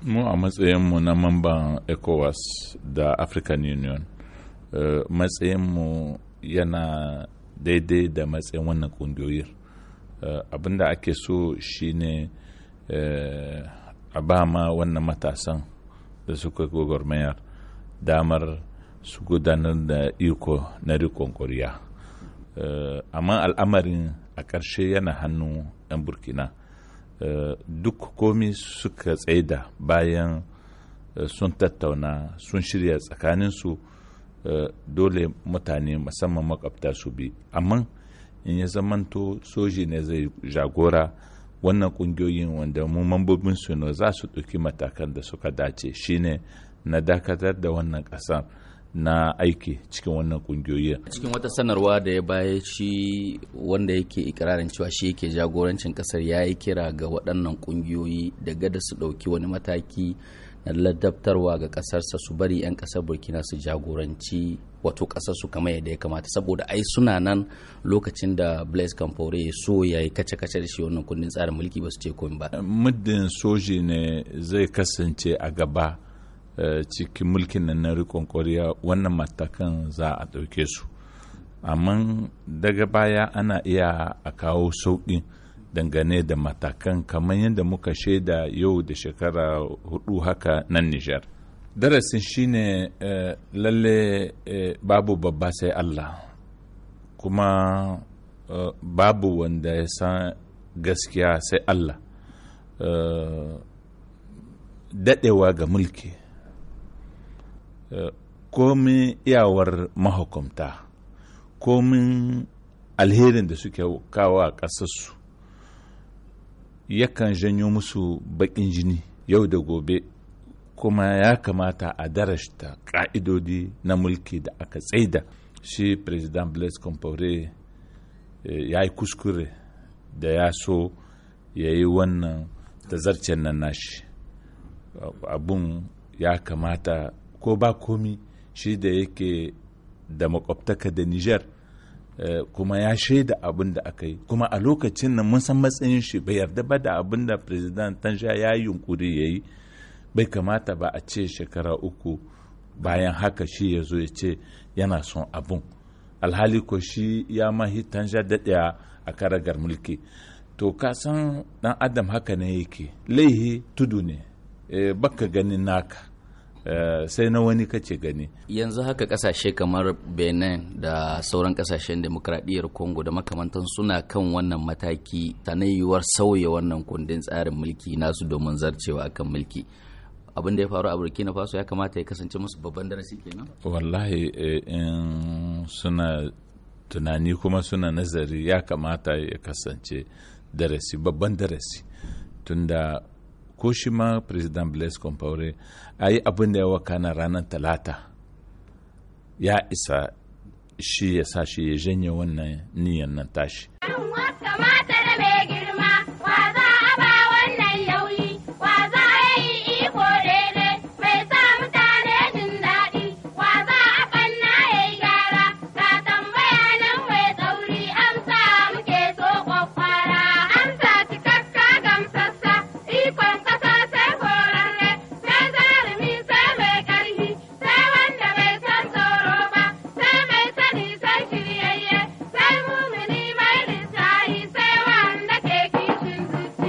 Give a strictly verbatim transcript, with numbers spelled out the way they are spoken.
Mu a matsayinmu na mamban ECOWAS da African Union, uh, matsayinmu yana daidai da matsayin wannan kungiyoyin. Uh, abinda ake so shine uh, a ba ma wannan matasan da suka gwagwarmayar damar su gudanar da iko na rikon ƙwarya. Amma al'amarin a ƙarshe yana hannu 'yan Burkina. Uh, duk komi suka tsaida bayan uh, sun tattauna, sun shirya tsakaninsu, uh, dole mutane, musamman makwabta, su bi. Amma in ya zamanto soji ne zai jagora wannan kungiyoyin, wanda mu mambobin su ne, za su ɗauki matakan da suka dace, shine na dakatar da wannan ƙasar na aiki cikin wannan kungiyoyi. Cikin wata sanarwa da ya baya, shi wanda yake ikirarin cewa shi yake jagorancin kasar ya yi kira ga waɗannan kungiyoyi da gada su ɗauki wani mataki na ladabtarwa ga ƙasarsa, su bari 'yan ƙasar Burkina su jagoranci wato ƙasarsu kamar yadda ya kamata, saboda ai suna nan lokacin da Blaise Compaoré ya so ya yi kace-kace da shi wannan kundin tsarin mulki, ba su ce komai ba. Muddin soji ne zai kasance a gaba Uh, cikin mulkin nan na rikon koriya, wannan matakan za a ɗauke su. Amma daga baya ana iya a kawo sauƙi dangane da matakan, kamar yadda muka shaida yau da shekara hudu haka nan Nijar. Darasin shine uh, lalle uh, babu babba sai Allah, kuma babu wanda ya san gaskiya sai Allah. Daɗewa ga mulki, komin iyawar mahukumta, komin alherin da suke kawo a ƙasarsu, yakan janyo musu baƙin jini yau da gobe. Kuma ya kamata a darashta ƙa'idodi na mulki da aka tsaida. Shi President Blaise Compaoré ya yi kuskure da ya so ya yi wannan tazarcen nan nashi. Abun ya kamata, ko ba komi, shi da yake da makwabtaka da Niger, kuma ya shaida abin da aka yi, kuma a lokacin nan mun san matsayin shi, bai yarda ba da abin da President Tanja ya yi yunkuri ya yi. Bai kamata ba a ce shekara uku bayan haka shi ya zo ya ce yana son abun, alhali ko shi ya mahi Tanja daɗaya a karagar mulki. To, ka san ɗan adam haka ne yake, laihi tudu ne, e, baka ganin naka, Uh, sai na wani kace gani. Yanzu haka kasashe kamar Benin da sauran kasashen demokradiyyar Congo da makamantan suna kan wannan mataki ta na yiwuwar sauya wannan kundin tsarin mulki nasu domin zarcewa akan mulki. Abin da ya faru a Burkina Faso ya kamata ya kasance musu babban darasi kenan. Wallahi, in suna tunani kuma suna nazari, ya kamata ya kasance darasi, babban darasi, tunda ko shi ma President Blaise Compaoré a yi abin da ya wakana ranar Talata ya isa shi ya sa shi ya janye wannan niyan nan tashi.